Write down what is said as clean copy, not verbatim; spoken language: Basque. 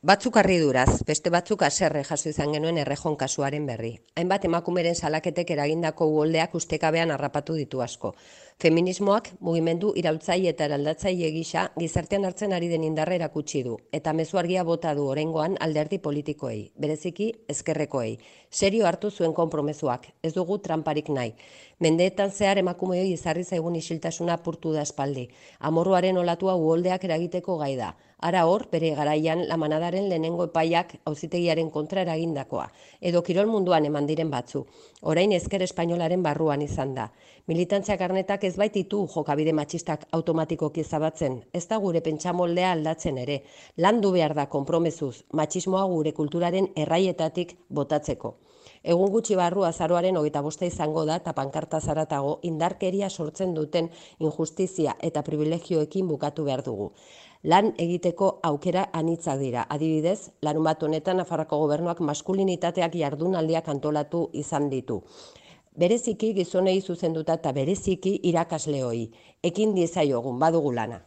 Batzuk harriduraz, beste batzuk haserre jaso izan genuen errejon kasuaren berri. Hainbat emakumeren salaketek eragindako uholdeak ustekabean harrapatu ditu asko. Feminismoak mugimendu iraultzaile eta eraldatzaile gisa gizartean hartzen ari den indarra erakutsi du, eta mezu argia bota du oraingoan alderdi politikoei, bereziki ezkerrekoei. Serio hartu zuen konpromezuak, ez dugu tranparik nahi. Mendeetan zehar emakumeoi izarri zaigun isiltasuna apurtu da espaldi. Amorruaren olatua uholdeak eragiteko gai da. Ara hor, bere garaian La Manadaren lehenengo epaiak auzitegiaren kontra eragindakoa, edo kirol munduan eman diren batzu. Orain ezker espainolaren barruan izan da. Militantzia karnetak ez baititu jokabide matxistak automatikoki zabatzen, ez da gure pentsamoldea aldatzen ere. Landu behar da konpromezuz, matxismoa gure kulturaren erraietatik botatzeko. Egun gutxi barru azaroaren 25 izango da eta pankarta zaratago indarkeria sortzen duten injustizia eta privilegioekin bukatu behar dugu. Lan egiteko aukera anitzak dira. Adibidez, larunbat honetan Nafarroako Gobernuak maskulinitateak jardunaldiak antolatu izan ditu. Bereziki gizonei zuzenduta eta bereziki irakasleoi. Ekin diezaiogun badugu lana.